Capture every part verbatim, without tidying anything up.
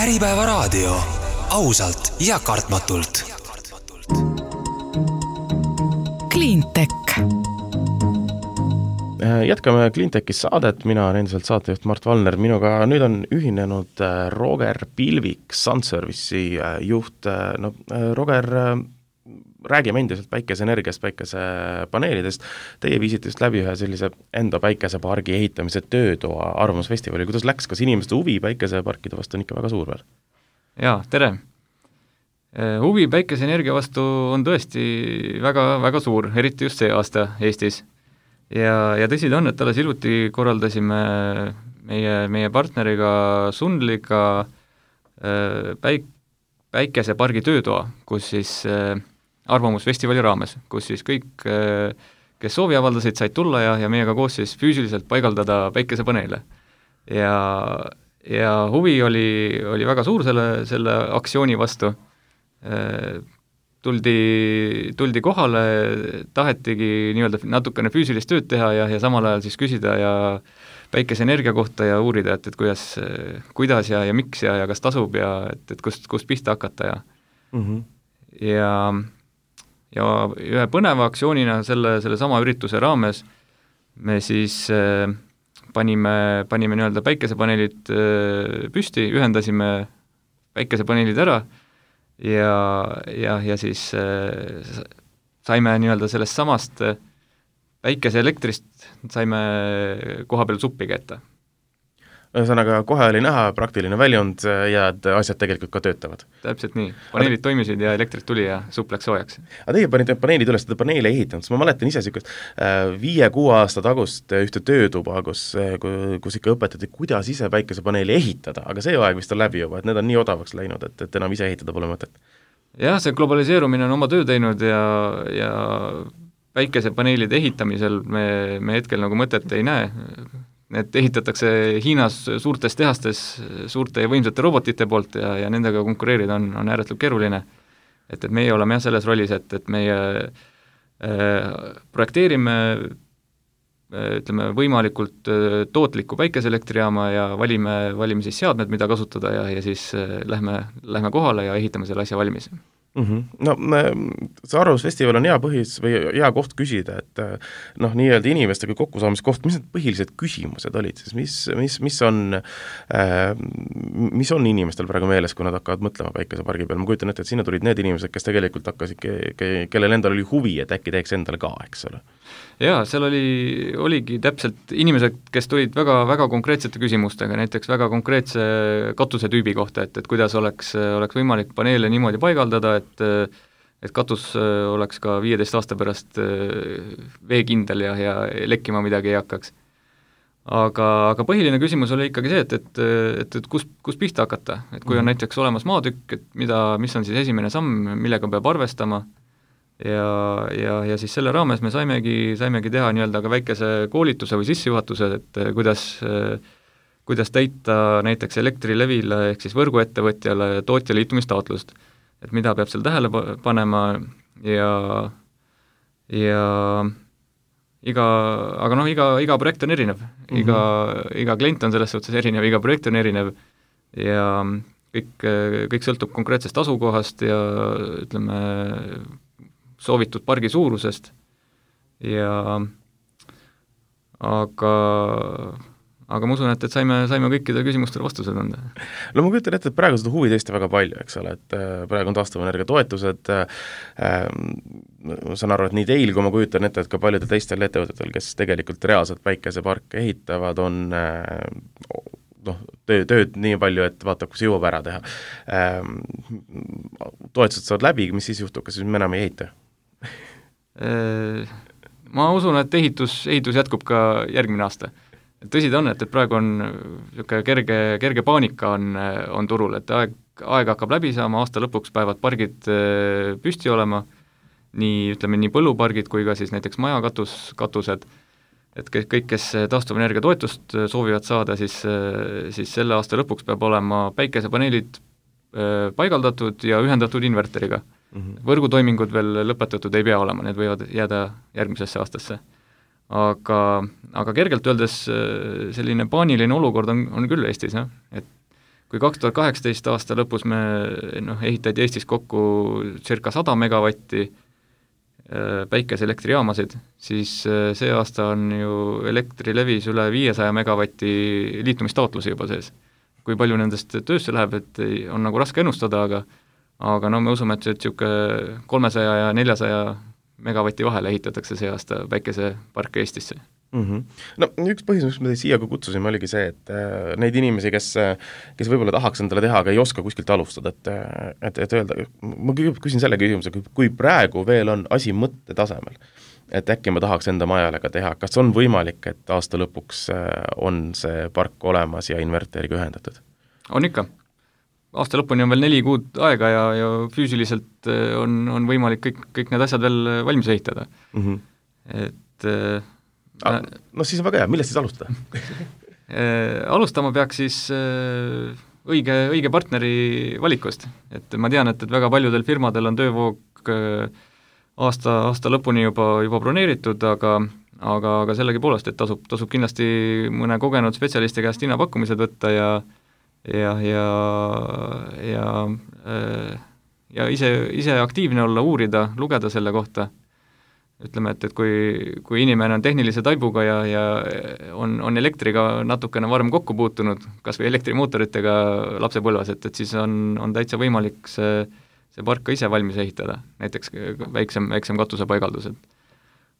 Äripäevaraadio. Ausalt ja kartmatult. Cleantech. Jätkame Cleantechis saadet, mina olen endiselt saatejuht Mart Valner, minuga nüüd on ühinenud Roger Pilvik, Sunservice'i juht. No, Roger, räägime endiselt päikeseenergiast, päikesepaneelidest. Teie viisite just läbi ühe sellise enda päikesepargi ehitamise töötoa arvamusfestivali. Kuidas läks, kas inimeste huvi päikeseparkide vastu on ikka väga suur veel? Jaa, tere! Huvi päikeseenergia vastu on tõesti väga, väga suur, eriti just see aasta Eestis. Ja, ja tõsi ta on, et alles hiljuti korraldasime meie, meie partneriga Sunliga päik, päikesepargi töötoa, kus siis arvamusfestivali raames, kus siis kõik, kes soovi avaldasid, said tulla ja, ja meiega koos siis füüsiliselt paigaldada päikesepaneele. Ja, ja huvi oli, oli väga suur selle, selle aktsiooni vastu. Tuldi, tuldi kohale, tahetigi nii-öelda natukene füüsilist tööd teha ja, ja samal ajal siis küsida ja päikeseenergia kohta ja uurida, et, et kuidas, kuidas ja, ja miks ja, ja kas tasub ja et, et kust, kust pihta hakata ja mm-hmm. ja ja ühe põneva aktsioonina selle, selle sama ürituse raames me siis äh, panime, panime nii-öelda päikesepaneelid äh, püsti, ühendasime päikesepaneelid ära ja, ja, ja siis äh, saime nii-öelda sellest samast äh, päikeseelektrist saime koha peal suppi kätte. Ühesõnaga, kohe oli näha praktiline väljund ja et asjad tegelikult ka töötavad. Täpselt nii. Paneelid toimisid ja elektrit tuli ja supp läks soojaks. Aga teie panite paneelid üles, te paneele ehitanud, ma mäletan ise sükest viie-kuue aasta tagust ühte töötuba, kus, kus ikka õpetati, kuidas ise päikesepaneeli ehitada, aga see aeg vist on läbi juba, et need on nii odavaks läinud, et, et enam ise ehitada pole mõtet. Jah, see globaliseerumine on oma töö teinud ja, ja päikesepaneelide ehitamisel me, me hetkel nagu mõtet ei näe. Need ehitatakse Hiinas suurtes tehastes suurte ja võimsate robotite poolt ja, ja nendega konkureerida on, on ääretult keeruline. Et, et meie oleme jah selles rollis, et, et meie äh, projekteerime äh, ütleme, võimalikult äh, tootliku päikeseelektrijaama ja valime, valime siis seadmed, mida kasutada ja, ja siis äh, lähme, lähme kohale ja ehitame selle asja valmis. Mm-hmm. No see arvamusfestival on hea põhis või hea koht küsida, et noh, nii-öelda inimestega kokkusaamiskoht, mis need põhilised küsimused olid siis, mis, mis, mis on äh, mis on inimestel praegu meeles, kui nad hakkavad mõtlema päikesepargi peal, ma kujutan ette, et sinna tulid need inimesed, kes tegelikult hakkasid, ke, ke, kellel endal oli huvi, et äkki teeks endale ka, eks ole? Jaa, seal oli, oligi täpselt inimesed, kes tulid väga, väga konkreetsete küsimustega, näiteks väga konkreetse katusetüübi kohta, et, et kuidas oleks, oleks võimalik paneele niimoodi paigaldada, et et katus oleks ka viieteist aasta pärast veekindel ja, ja lekkima midagi ei hakkaks. Aga, aga põhiline küsimus oli ikkagi see, et, et, et, et kus, kus pihta hakata, et kui on näiteks olemas maatükk, et mida, mis on siis esimene samm, millega peab arvestama ja, ja, ja siis selle raames me saimegi, saimegi teha nii-öelda ka väikese koolituse või sissejuhatuse, et kuidas, kuidas täita näiteks Elektrilevile ehk siis võrguettevõtjale tootja liitumistaotlust. Et mida peab seal tähele panema ja, ja iga, aga noh, iga, iga projekt on erinev, iga, mm-hmm. iga klient on selles suhtes erinev, iga projekt on erinev ja kõik, kõik sõltub konkreetsest asukohast ja ütleme, soovitud pargi suurusest ja aga aga ma usun, et, et saime, saime kõikide küsimustele vastused anda. No ma kujutan ette, et praegu seda huvi tõesti väga palju, eks ole, et praegu on taastuvenergia toetused, äh, ma saan aru, et nii teil, kui ma kujutan ette, et ka paljudel teistel ettevõtetel, kes tegelikult reaalselt päikeseparke ehitavad, on äh, noh, töö, tööd nii palju, et vaatab, kus jõuab ära teha. Äh, toetused saavad läbi, mis siis juhtub, kas siis me enam ei ehita? Ma usun, et ehitus, ehitus jätkub ka järgmine aasta. Tõsi ta on, et, et praegu on kerge, kerge paanika on, on turul, et aeg, aeg hakkab läbi saama, aasta lõpuks päevad pargid püsti olema, nii, ütleme, nii põllupargid kui ka siis näiteks majakatus, katused, et kõik, kes taastuvenergia toetust soovivad saada, siis, siis selle aasta lõpuks peab olema päikesepaneelid paigaldatud ja ühendatud inverteriga. Mm-hmm. Võrgutoimingud veel lõpetatud ei pea olema, need võivad jääda järgmisesse aastasse. Aga, aga kergelt öeldes selline paaniline olukord on, on küll Eestis, jah? Et kui kaks tuhat kaheksateist aasta lõpus me noh, ehitati Eestis kokku circa sada megavatti päikeseelektrijaamasid, siis see aasta on ju Elektrilevis üle viiesaja megavatti liitumistaotlusi juba sees. Kui palju nendest töösse läheb, et on nagu raske ennustada, aga aga no me usume, et niisugune kolmesaja ja neljasaja megavatti vahele ehitatakse see aasta päikeseparke Eestisse. Mm-hmm. No üks põhjus, mis me teid siia kutsusime, oligi see, et äh, neid inimesi, kes, kes võib-olla tahaks endale teha, aga ei oska kuskilt alustada, et, et, et öelda, ma küsin selle küsimuse, kui praegu veel on asi mõtte tasemel, et äkki ma tahaks enda majale ka teha, kas on võimalik, et aasta lõpuks on see park olemas ja inverteriga ühendatud? On ikka. Aasta lõpuni on veel neli kuud aega ja, ja füüsiliselt on, on võimalik kõik, kõik need asjad veel valmis ehitada. Mm-hmm. Et Ah, no siis on väga hea, millest siis alustada? Alustama peaks siis õige, õige partneri valikust. Et ma tean, et, et väga paljudel firmadel on töövoog aasta, aasta lõpuni juba, juba broneeritud, aga, aga, aga sellegi poolest, et tasub, tasub kindlasti mõne kogenud spetsialisti käest hinnapakkumised võtta ja ja, ja, ja, ja ise, ise aktiivne olla, uurida, lugeda selle kohta. Ütleme, et, et kui, kui inimene on tehnilise taibuga ja, ja on, on elektriga natukene varem kokku puutunud, kas või elektrimootoritega lapsepõlves, et, et siis on, on täitsa võimalik see, see park ka ise valmis ehitada, näiteks väiksem, väiksem katusepaigaldused.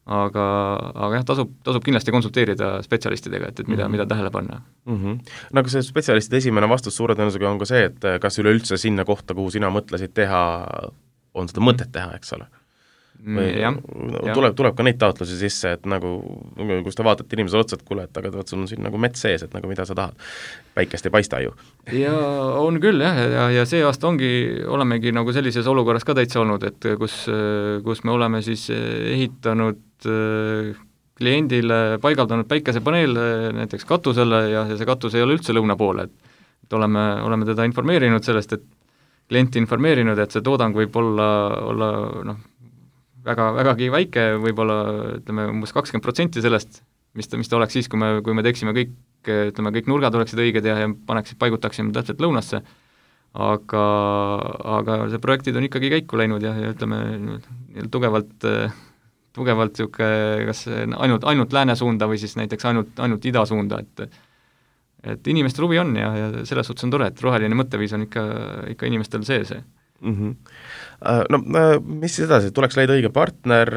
Aga, aga jah, tasub, tasub kindlasti konsulteerida spetsialistidega, et, et mida, mm-hmm. mida tähele panna. Mm-hmm. No aga see spetsialistide esimene vastus suure tõenäosusega on ka see, et kas üleüldse sinna kohta, kuhu sina mõtlesid teha, on seda mõtet teha, eks ole? Või ja, tuleb, tuleb ka neid taotlusi sisse, et nagu, kus te vaatate inimesele otsa, et kuule, et aga sul on siin nagu mets sees, et nagu mida sa tahad, päikest ei paista ju. Ja on küll jah, ja, ja see aasta ongi, olemegi nagu sellises olukorras ka täitsa olnud, et kus, kus me oleme siis ehitanud kliendile, paigaldanud päikesepaneele näiteks katusele ja see katus ei ole üldse lõuna poole, et, et oleme, oleme teda informeerinud sellest, et klienti informeerinud, et see toodang võib olla, olla noh, väga, vägagi väike, võib-olla ütleme umbes kakskümmend protsenti sellest, mis ta, mis ta oleks siis, kui me, kui me teeksime kõik, ütleme, kõik nurgad oleksid õiged ja, ja paneksid, paigutaksime täpselt lõunasse, aga, aga see projektid on ikkagi käiku läinud ja, ja ütleme, tugevalt, tugevalt siuke, kas ainult, ainult lääne suunda või siis näiteks ainult, ainult ida suunda, et et inimestel huvi on ja, ja selles suhtes on tore, et roheline mõtteviis on ikka, ikka inimestel sees. Mm-hmm. No mis siis edasi, tuleks leida õige partner,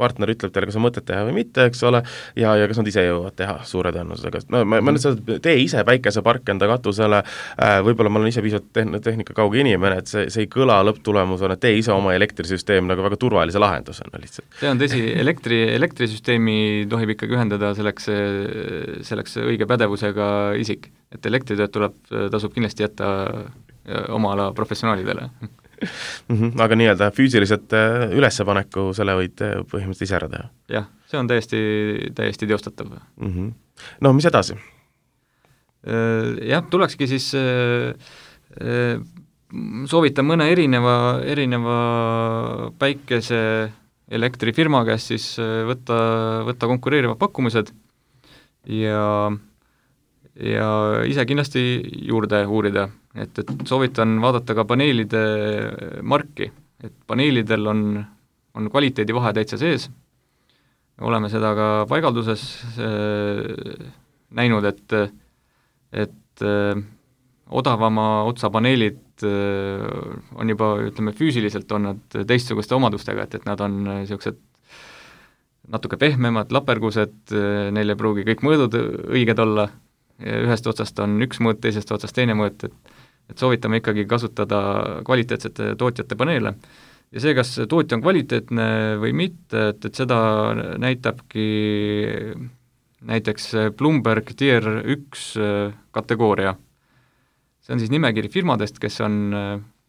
partner ütleb teile, kas on mõtet teha või mitte, eks ole, ja, ja kas nad ise jõuavad teha suure tõenäosusega. No ma, ma nüüd seda, tee ise päikesepark enda katusele, võib-olla ma olen ise piisavalt tehn-, tehnika kauge inimene, et see, see ei kõla lõpptulemusena, tee ise oma elektrisüsteem nagu väga turvalise lahendusena lihtsalt. See on tõsi, elektri, elektrisüsteemi tohib ikkagi ühendada selleks, selleks õige pädevusega isik, et elektritööd tuleb, tasub kindlasti jätta oma ala professionaalidele. Mm-hmm, aga nii-öelda füüsiliselt ülespaneku selle võid põhimõtteliselt ise ära teha? Jah, see on täiesti, täiesti teostatav. Mm-hmm. No mis edasi? Jah, tulekski siis soovitan mõne erineva, erineva päikese elektrifirma käest siis võtta, võtta konkureerivad pakkumised ja ja ise kindlasti juurde uurida, et, et soovitan vaadata ka paneelide marki, et paneelidel on, on kvaliteedivahe täitsa sees, oleme seda ka paigalduses äh, näinud, et, et äh, odavama otsa paneelid äh, on juba, ütleme, füüsiliselt on nad teistsuguste omadustega, et, et nad on niisugused natuke pehmemad, lapergused, neil ei pruugi kõik mõõdud õiged olla, ühest otsast on üks mõõt, teisest otsast teine mõõt, et, et soovitame ikkagi kasutada kvaliteetsete tootjate paneele. Ja see, kas tootja on kvaliteetne või mitte, et, et seda näitabki näiteks Bloomberg Tier üks kategooria. See on siis nimekiri firmadest, kes on,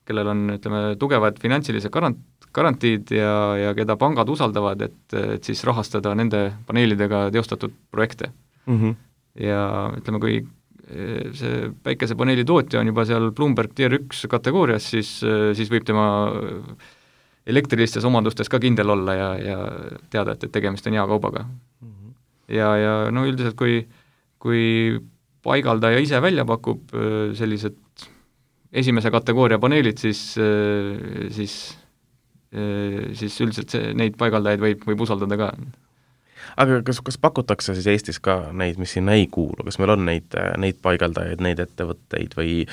kellel on, ütleme, tugevad finantsilised garant, garantiid ja, ja keda pangad usaldavad, et, et siis rahastada nende paneelidega teostatud projekte. Mm-hmm. Ja ütleme, kui see päikesepaneeli tootja on juba seal Bloomberg Tier üks kategoorias, siis, siis võib tema elektrilistes omandustes ka kindel olla ja, ja teada, et, et tegemist on hea kaubaga. Mm-hmm. Ja, ja no üldiselt, kui, kui paigaldaja ise välja pakub sellised esimese kategooria paneelid, siis, siis, siis üldiselt see, neid paigaldajaid võib, võib usaldada ka. Aga kas, kas pakutakse siis Eestis ka neid, mis sinna ei kuulu, kas meil on neid, neid paigaldajaid, neid ettevõtteid või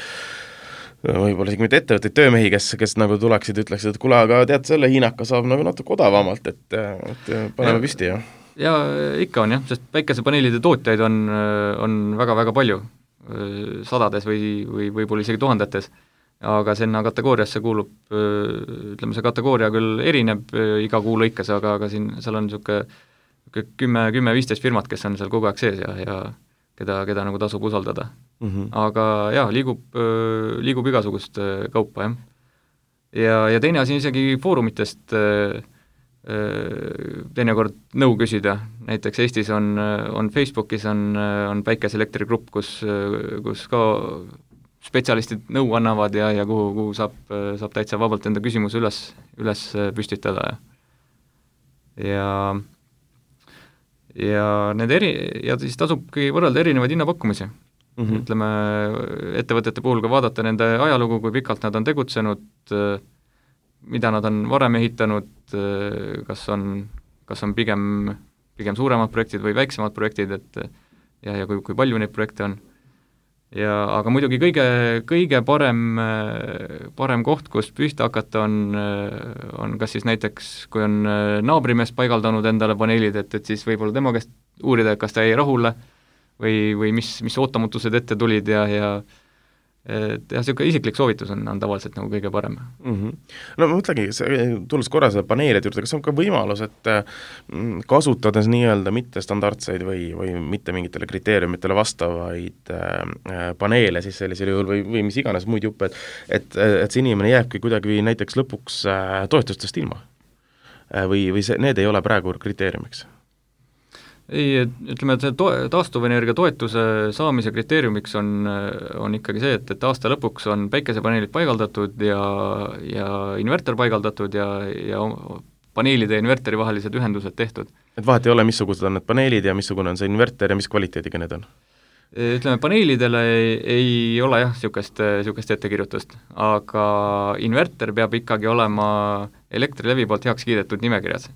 võib-olla isegi mitte ettevõtteid, töömehi, kes, kes nagu tuleksid, ütleksid, et kuule, aga tead, selle hiinaka saab nagu natuke odavamalt, et, et paneme ja, püsti, jah? Ja ikka on jah, sest päikesepaneelide tootjaid on, on väga-väga palju, sadades või, või võib-olla isegi tuhandetes, aga sinna kategooriasse kuulub, ütleme, see kategooria küll erineb iga kuu lõikes, aga, aga siin, seal on niisugune kümme, kümme, viisteist firmat, kes on seal kogu aeg sees ja, ja keda, keda nagu tasub usaldada. Mm -hmm. Aga jaa, liigub, liigub igasugust kaupa, jah. Ja, ja teine asi isegi foorumitest teinekord nõu küsida, näiteks Eestis on, on Facebookis on, on päikeseelektrigrupp, kus, kus ka spetsialistid nõu annavad ja, ja kuhu, kuhu saab, saab täitsa vabalt enda küsimuse üles, üles püstitada ja ja ja need eri, ja siis tasubki võrrelda erinevaid hinnapakkumisi. Mm -hmm. Ütleme, ettevõtete puhul ka vaadata nende ajalugu, kui pikalt nad on tegutsenud, mida nad on varem ehitanud, kas on, kas on pigem, pigem suuremad projektid või väiksemad projektid, et ja, ja kui, kui palju neid projekte on. Ja, aga muidugi kõige, kõige parem, parem koht, kus pühta hakata, on, on kas siis näiteks, kui on naabrimees paigaldanud endale paneelid, et, et siis võib-olla tema käest uurida, kas ta jäi rahule või, või mis, mis ootamutused ette tulid ja, ja et jah, niisugune isiklik soovitus on, on tavaliselt nagu kõige parem. Mm -hmm. No ma mõtlengi, tulles korra selle paneelide juurde, kas on ka võimalus, et kasutades nii-öelda mittestandardseid või, või mitte mingitele kriteeriumitele vastavaid äh, paneele siis sellisel juhul või, või mis iganes muid juppe, et, et, et see inimene jääbki kuidagi näiteks lõpuks äh, toetustest ilma äh, või, või see, need ei ole praegu kriteeriumiks? Ei, ütleme, et see to-, taastuvenergia toetuse saamise kriteeriumiks on, on ikkagi see, et, et aasta lõpuks on päikesepaneelid paigaldatud ja, ja inverter paigaldatud ja, ja paneelide ja inverteri vahelised ühendused tehtud. Et vahet ei ole, missugused on need paneelid ja missugune on see inverter ja mis kvaliteediga need on? Ütleme, paneelidele ei, ei ole jah, niisugust, niisugust ettekirjutust, aga inverter peab ikkagi olema Elektrilevi poolt heaks kiidetud nimekirjas.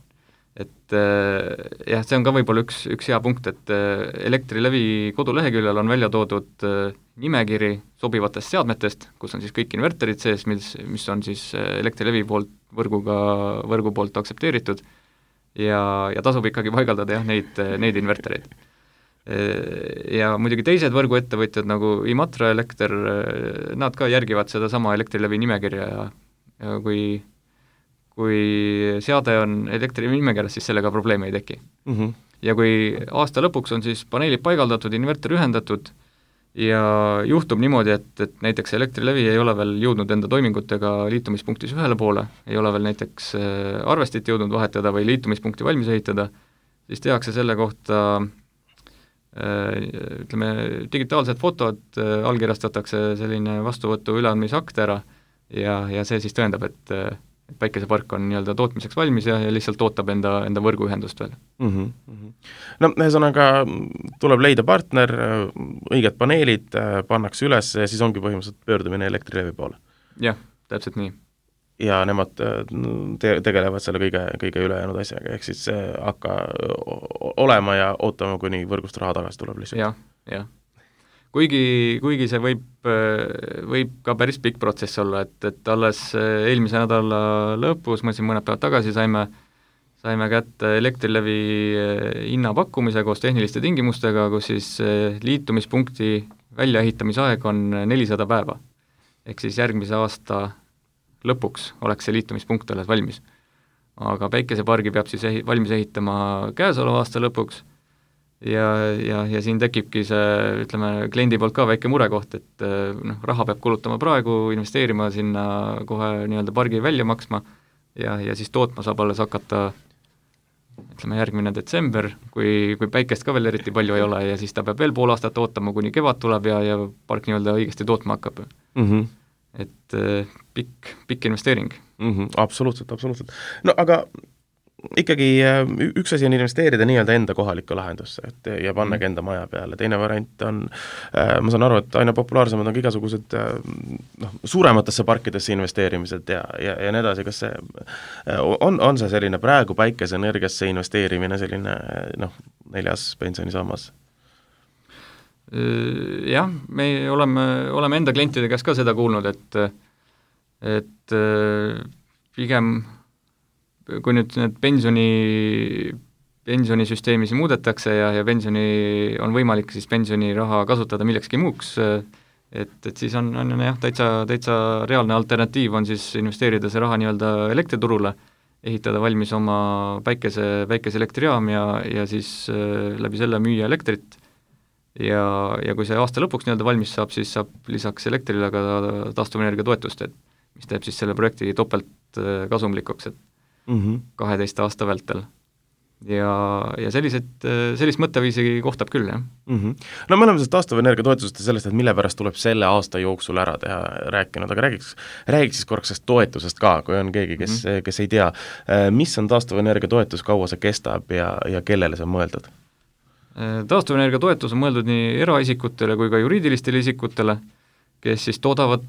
Et jah, see on ka võib-olla üks, üks hea punkt, et Elektrilevi koduleheküljel on välja toodud nimekiri sobivatest seadmetest, kus on siis kõik inverterid sees, mis, mis on siis Elektrilevi poolt võrguga, võrgu poolt aktsepteeritud ja, ja tasub ikkagi paigaldada jah, neid, neid invertereid. Ja muidugi teised võrguettevõtjad nagu Imatra Elekter, nad ka järgivad seda sama Elektrilevi nimekirja ja, ja kui kui seade on Elektrilevi nimekirjas, siis sellega probleeme ei teki. Mm -hmm. Ja kui aasta lõpuks on siis paneelid paigaldatud, inverter ühendatud ja juhtub niimoodi, et, et näiteks Elektrilevi ei ole veel jõudnud enda toimingutega liitumispunktis ühele poole, ei ole veel näiteks arvestit jõudnud vahetada või liitumispunkti valmis ehitada, siis tehakse selle kohta ütleme, digitaalsed fotod, allkirjastatakse selline vastuvõtu üleandmisakt ära ja, ja see siis tõendab, et päikesepark on nii-öelda tootmiseks valmis ja, ja lihtsalt ootab enda, enda võrguühendust veel. Mm -hmm. No ühesõnaga tuleb leida partner, õiged paneelid pannakse üles ja siis ongi põhimõtteliselt pöördumine Elektrilevi poole. Jah, täpselt nii. Ja nemad te- tegelevad selle kõige, kõige ülejäänud asjaga, ehk siis hakka olema ja ootama, kuni võrgust raha tagasi tuleb lihtsalt. jah, jah. Kuigi, kuigi see võib, võib ka päris pikk protsess olla, et, et alles eelmise nädala lõpus, ma siin mõned päevad tagasi saime, saime kätte Elektrilevi hinnapakkumise koos tehniliste tingimustega, kus siis liitumispunkti väljaehitamisaeg on nelisada päeva. Ehk siis järgmise aasta lõpuks oleks see liitumispunkt alles valmis. Aga päikesepargi peab siis ehi-, valmis ehitama käesoleva aasta lõpuks, ja, ja, ja siin tekibki see, ütleme, kliendi poolt ka väike murekoht, et noh, raha peab kulutama praegu, investeerima sinna kohe nii-öelda pargi välja maksma ja, ja siis tootma saab alles hakata ütleme järgmine detsember, kui, kui päikest ka veel eriti palju ei ole ja siis ta peab veel pool aastat ootama, kuni kevad tuleb ja, ja park nii-öelda õigesti tootma hakkab mm. -hmm. Et pikk, pikk investeering mm. -hmm. Absoluutselt, absoluutselt. No aga ikkagi üks asi on investeerida nii-öelda enda kohalikku lahendusse, et ja pannagi enda maja peale, teine variant on, ma saan aru, et aina populaarsemad on ka igasugused noh, suurematesse parkidesse investeerimised ja, ja, ja nii edasi, kas see on, on see selline praegu päikeseenergiasse investeerimine selline noh, neljas pensionisammas? Jah, me oleme, oleme enda klientide käest ka seda kuulnud, et et pigem kui nüüd need pensioni, pensionisüsteemis muudetakse ja, ja pensioni on võimalik siis pensioniraha kasutada millekski muuks, et, et siis on, on jah, täitsa, täitsa reaalne alternatiiv on siis investeerida see raha nii-öelda elektriturule, ehitada valmis oma päikese, päikeseelektrijaam ja, ja siis läbi selle müüa elektrit ja, ja kui see aasta lõpuks nii-öelda valmis saab, siis saab lisaks elektrile ka taastuvenergia toetust, et mis teeb siis selle projekti topelt kasumlikuks, et mm-hmm. kaheteist aasta vältel. Ja, ja sellised, sellist mõtteviisi kohtab küll, jah. Mm-hmm. No me oleme sellest taastuvenergia toetusest ja sellest, et mille pärast tuleb selle aasta jooksul ära teha rääkinud, aga räägiks, räägiks siis korraks sellest toetusest ka, kui on keegi, kes, mm-hmm. kes ei tea, mis on taastuvenergia toetus, kaua see kestab ja, ja kellele see on mõeldud? Taastuvenergia toetus on mõeldud nii eraisikutele kui ka juriidilistele isikutele, kes siis toodavad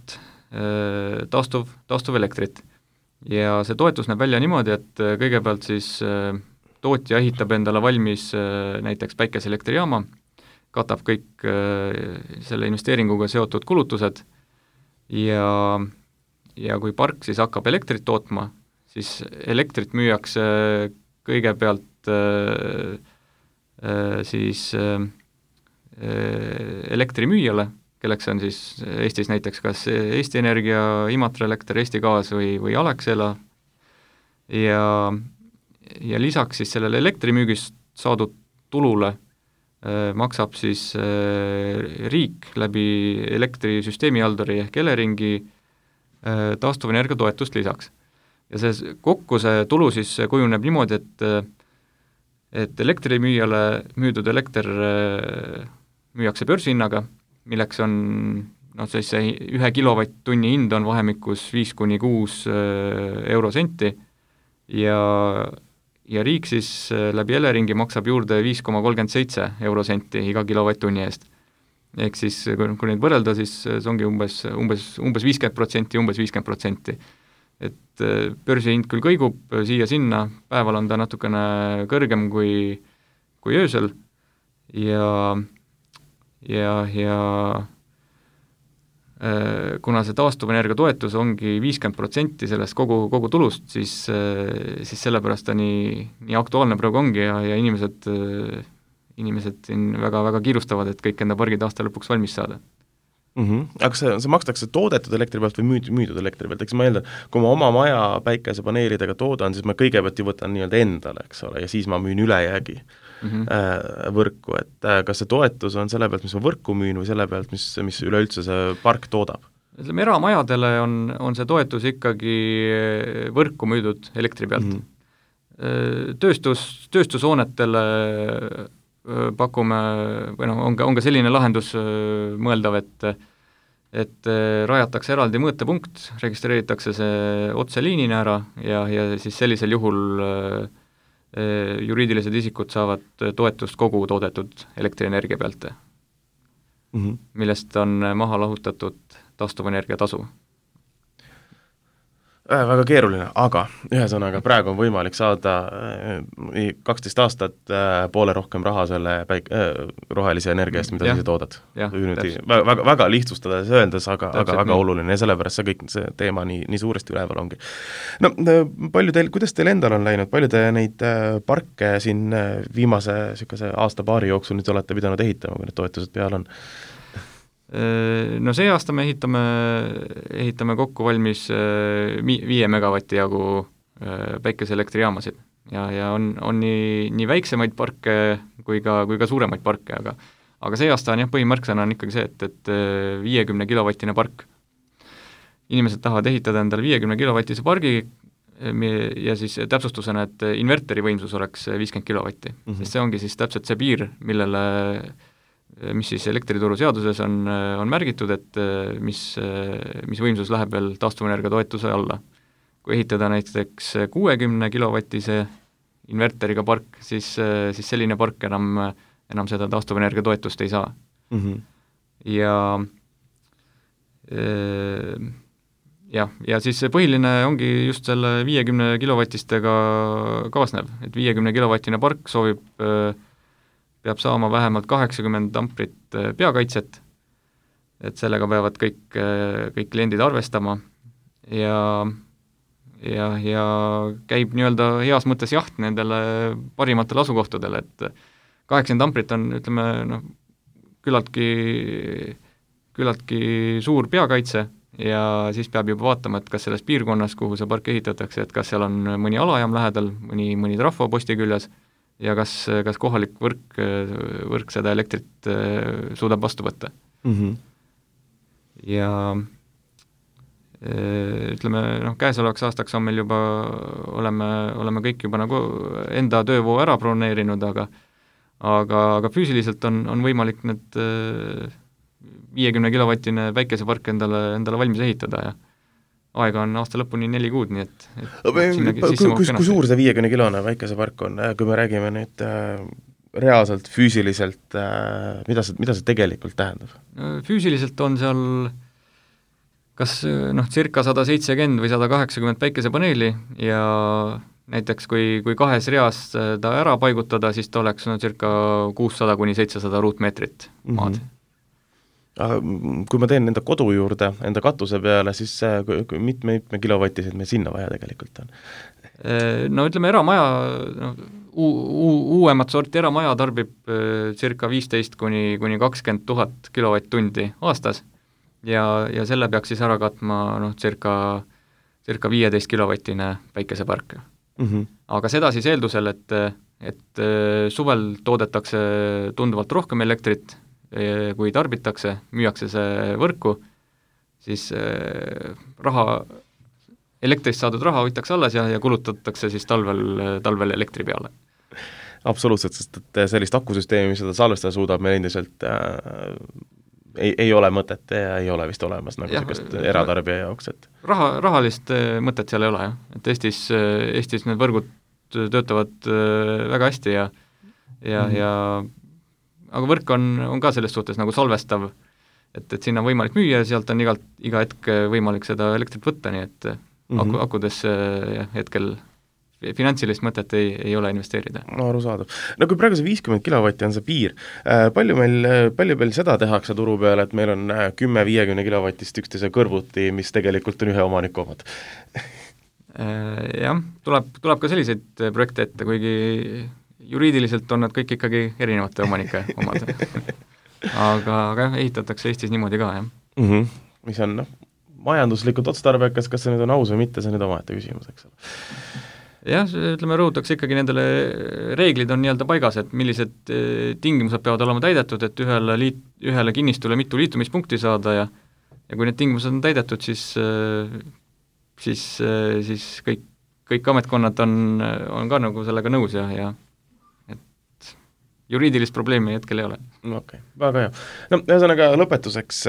taastuv, taastuvelektrit. Ja see toetus näeb välja niimoodi, et kõigepealt siis tootja ehitab endale valmis näiteks päikeseelektrijaama, katab kõik selle investeeringuga seotud kulutused ja, ja kui park siis hakkab elektrit tootma, siis elektrit müüakse kõigepealt siis elektrimüüjale, kelleks on siis Eestis näiteks kas Eesti Energia, Imatra Elekter, Eesti Gaas või, või Alexela ja, ja lisaks siis sellele elektrimüügist saadud tulule äh, maksab siis äh, riik läbi elektrisüsteemihalduri ehk Eleringi äh, taastuvenergia toetust lisaks. Ja see kokku see tulu siis kujuneb niimoodi, et, et elektrimüüjale müüdud elekter äh, müüakse börsihinnaga, milleks on noh, siis see ühe kilovatt-tunni hind on vahemikus viis kuni kuus eurosenti ja, ja riik siis läbi Eleringi maksab juurde viis koma kolmkümmend seitse eurosenti iga kilovatt-tunni eest. Ehk siis, kui neid võrrelda, siis see ongi umbes, umbes, umbes viiskümmend protsenti, umbes viiskümmend protsenti. Et börsihind küll kõigub siia-sinna, päeval on ta natukene kõrgem kui, kui öösel ja ja, ja äh, kuna see taastuvenergia toetus ongi viiskümmend protsenti sellest kogu, kogu tulust, siis, äh, siis sellepärast ta nii, nii aktuaalne praegu ongi ja, ja inimesed, äh, inimesed siin väga, väga kiirustavad, et kõik enda pargid aasta lõpuks valmis saada. Mm-hmm. Aga see, see makstakse toodetud elektri pealt või müüd, müüdud elektri pealt, eks ma eeldan, kui ma oma maja päikesepaneelidega toodan, siis ma kõigepealt ju võtan nii-öelda endale, eks ole, ja siis ma müün ülejäägi mm-hmm. äh, võrku, et äh, kas see toetus on selle pealt, mis ma võrku müün või selle pealt, mis, mis üleüldse see park toodab? Ütleme, eramajadele on, on see toetus ikkagi võrku müüdud elektri pealt mm-hmm. tööstus, tööstushoonetele pakume, või noh, on ka, on ka selline lahendus mõeldav, et et rajatakse eraldi mõõtepunkt, registreeritakse see otseliinina ära ja, ja siis sellisel juhul juriidilised isikud saavad toetust kogu toodetud elektrienergia pealt mm-hmm., millest on maha lahutatud taastuvenergia tasu. Äh, väga keeruline, aga ühesõnaga praegu on võimalik saada äh, kaksteist aastat äh, poole rohkem raha selle päik- äh, rohelise energia eest, mida ja. sa toodad. Väga, väga, väga lihtsustades öeldes, aga, aga väga nii. Oluline ja sellepärast see kõik see teema nii, nii suuresti üleval ongi. No palju teil, kuidas teil endal on läinud, palju te neid äh, parke siin äh, viimase sükase aasta-paari jooksul nüüd olete pidanud ehitama, kui need toetused peal on? No see aasta me ehitame, ehitame kokku valmis viie megavati jagu päikeseelektrijaamasid ja, ja on, on nii, nii väiksemaid parke kui ka, kui ka suuremaid parke, aga aga see aasta on jah, põhimärksõna on ikkagi see, et, et viiekümne kilovatine park. Inimesed tahavad ehitada endale viiekümne kilovatise pargi ja siis täpsustusena, et inverteri võimsus oleks viiskümmend kilovatti, mm-hmm. sest see ongi siis täpselt see piir, millele mis siis elektrituru seaduses on, on märgitud, et mis, mis võimsus läheb veel taastuvenergia toetuse alla. Kui ehitada näiteks kuuekümne kilovatise inverteriga park, siis, siis selline park enam, enam seda taastuvenergia toetust ei saa mm. -hmm. ja jah, ja siis see põhiline ongi just selle viiekümne kilovatistega kaasnev, et viiekümne kilovatine park soovib, peab saama vähemalt kaheksakümmend amprit peakaitset, et sellega peavad kõik, kõik kliendid arvestama ja ja, ja käib nii-öelda heas mõttes jaht nendele parimatele asukohtadele, et kaheksakümmend amprit on, ütleme, noh, küllaltki, küllaltki suur peakaitse ja siis peab juba vaatama, et kas selles piirkonnas, kuhu see park ehitatakse, et kas seal on mõni alajaam lähedal, mõni, mõni trafo posti küljes ja kas, kas kohalik võrk, võrk seda elektrit suudab vastu võtta mm. -hmm. ja ütleme, noh, käesolevaks aastaks on meil juba, oleme, oleme kõik juba nagu enda töövoo ära broneerinud, aga aga, aga füüsiliselt on, on võimalik need viiekümne kilovatine päikesepark endale, endale valmis ehitada ja aega on aasta lõpuni neli kuud, nii et, et kui, kui suur see viiekümne kilone päikesepark on, kui me räägime nüüd äh, reaalselt, füüsiliselt äh,, mida see, mida see tegelikult tähendab? Füüsiliselt on seal kas noh, circa sada seitsekümmend või sada kaheksakümmend päikesepaneeli ja näiteks kui, kui kahes reas ta ära paigutada, siis ta oleks no circa kuussada kuni seitsesada ruutmeetrit maad. Mm-hmm. Aga kui ma teen enda kodu juurde, enda katuse peale, siis mitme, mitme kilovatiseid meil sinna vaja tegelikult on? No ütleme, eramaja, no, uu, uuemat sorti eramaja tarbib circa viisteist kuni, kuni kakskümmend tuhat kilovatt-tundi aastas ja, ja selle peaks siis ära katma noh, circa, circa viieteist kilovatine päikesepark. Mm-hmm. Aga seda siis eeldusel, et, et suvel toodetakse tunduvalt rohkem elektrit, kui tarbitakse, müüakse see võrku, siis raha, elektrist saadud raha hoitakse alles ja, ja kulutatakse siis talvel, talvel elektri peale. Absoluutselt, sest et sellist akusüsteemi, mis seda salvestada suudab, meil endiselt äh, ei, ei ole mõtet ja ei ole vist olemas nagu sellist eratarbija jaoks, et raha, rahalist mõtet seal ei ole, jah. Et Eestis, Eestis need võrgud töötavad väga hästi ja ja mm-hmm. ja aga võrk on, on ka selles suhtes nagu salvestav, et, et sinna on võimalik müüa ja sealt on igalt, iga hetk võimalik seda elektrit võtta, nii et mm-hmm. aku, akudesse jah, hetkel finantsilist mõtet ei, ei ole investeerida. No arusaadav. No kui praegu see viiskümmend kilovatti on see piir, palju meil, palju meil seda tehakse turu peale, et meil on kümme viiekümne kilovatist üksteise kõrvuti, mis tegelikult on ühe omaniku omad? Jah, tuleb, tuleb ka selliseid projekte ette, kuigi juriidiliselt on nad kõik ikkagi erinevate omanike omad. aga, aga jah, ehitatakse Eestis niimoodi ka, jah. Mm-hmm. Mis on, noh, majanduslikult otstarbekas, kas see nüüd on aus või mitte, see on nüüd omaette küsimus, eks ole. Jah, ütleme, rõhutakse ikkagi nendele reeglid on nii-öelda paigas, et millised tingimused peavad olema täidetud, et ühele, liit, ühele kinnistule mitu liitumispunkti saada ja ja kui need tingimused on täidetud, siis siis, siis kõik, kõik ametkonnad on, on ka nagu sellega nõus ja, ja juriidilist probleemi hetkel ei ole. Okei, okay, väga hea. No ühesõnaga lõpetuseks,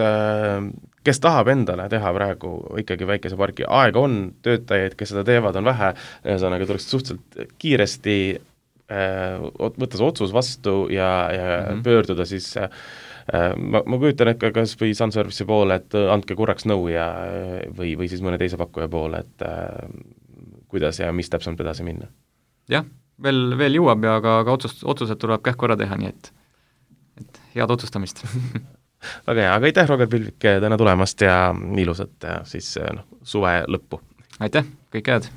kes tahab endale teha praegu ikkagi väikeseparki, aega on, töötajaid, kes seda teevad, on vähe, ühesõnaga tuleks suhteliselt kiiresti võtta see otsus vastu ja, ja mm-hmm. pöörduda siis, ma, ma kujutan, et ka kas või Sunservice'i poole, et andke korraks nõu ja, või, või siis mõne teise pakkuja poole, et kuidas ja mis täpselt edasi minna. Jah, veel, veel jõuab ja ka, ka otsust, otsused tuleb kähku ära teha, nii et, et head otsustamist. Väga hea, aga aitäh, Roger Pilvik, täna tulemast ja ilusat siis no, suve lõppu! Aitäh, kõik head!